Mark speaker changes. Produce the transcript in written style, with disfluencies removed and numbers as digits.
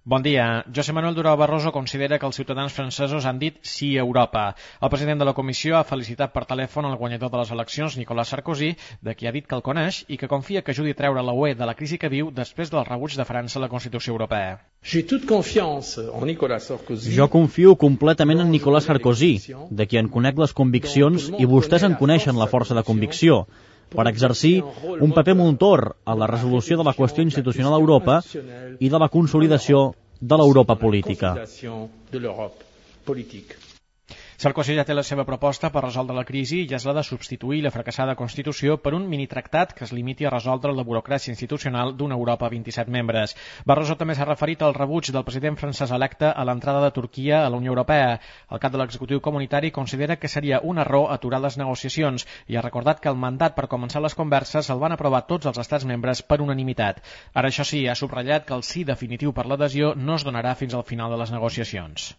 Speaker 1: Bon dia. José Manuel Durão Barroso considera que els ciutadans francesos han dit sí a Europa. El president de la Comissió ha felicitat per telèfon el guanyador de les eleccions, Nicolas Sarkozy, de qui ha dit que el coneix i que confia que ajudi a treure la UE de la crisi que viu després del rebuig de França a la Constitució Europea.
Speaker 2: Jo confio completament en Nicolas Sarkozy, de qui en conec les conviccions i vostès en coneixen la força de convicció, per exercir un paper motor a la resolució de la qüestió institucional a Europa i de la consolidació de l'Europa política.
Speaker 1: Sarkozy ja té la seva proposta per resoldre la crisi i és la de substituir la fracassada Constitució per un minitractat que es limiti a resoldre la burocràcia institucional d'una Europa a 27 membres. Barroso també s'ha referit al rebuig del president francès electe a l'entrada de Turquia a la Unió Europea. El cap de l'executiu comunitari considera que seria un error aturar les negociacions i ha recordat que el mandat per començar les converses el van aprovar tots els estats membres per unanimitat. Ara, això sí, ha subratllat que el sí definitiu per l'adhesió no es donarà fins al final de les negociacions.